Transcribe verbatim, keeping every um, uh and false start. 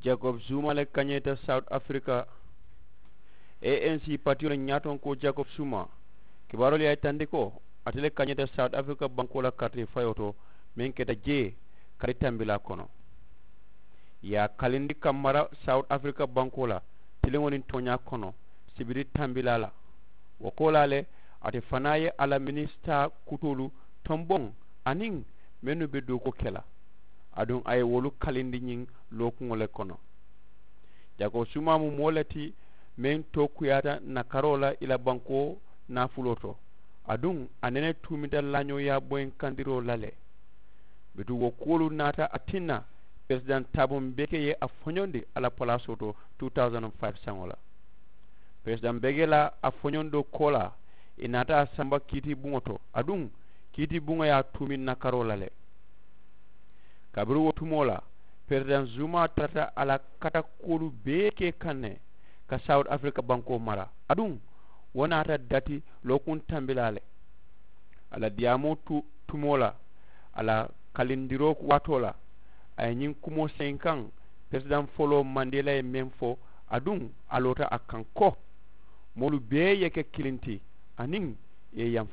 Jacob zuma le kañeeta south africa. Anc patiyo le ñaatonkoo jacob zuma kibaaroolu ye a yitandi ko ate le kañeeta south africa bankoo la karite fayoo to meŋ keta jee kali tambilaa kono. Ye a kalindi ka mara south africa bankoo la tiliŋo niŋ tooñaa kono sibiri tambilaa la. Wo koolaa le ate fanaa ye a la minisitaa kutoolu tomboŋ aniŋ mennu be dookuwo ke la aduŋ a ye wolu kalindi ñiŋ lookuŋo le kono. Jako suma mu moo le ti meŋ tookuyaata nakaroo la i la bankoo naafuloo to aduŋ a nene tuumita laañoo ye a boyiŋ kandiroo la le. Bituŋ wo kuwolu naata a tinna peresidaŋ taaboŋ beke ye a foñondi a la palaasoo to two thousand and five saŋo la. Peresidaŋ beke la a foñondoo koolaa ì naata a samba kiitibuŋo to aduŋ kiitibuŋo ye a tuumi nakaroo la le. Kabiriŋ wo tumoo la peresidaŋ zuma tarata a la katakuwolu bee ke kaŋ ne ka south africa bankoo mara aduŋ wo naata dati lookuŋ tambilaa le. A la diyaamoo tu tumoo la a la kalindiroo waatoo la a ye ñiŋ kumoo seyi kaŋ peresidaŋ foloo mandela ye meŋ fo aduŋ a loota a kaŋ ko moolu bee ye ke kiliŋ ti aniŋ i ye yaŋ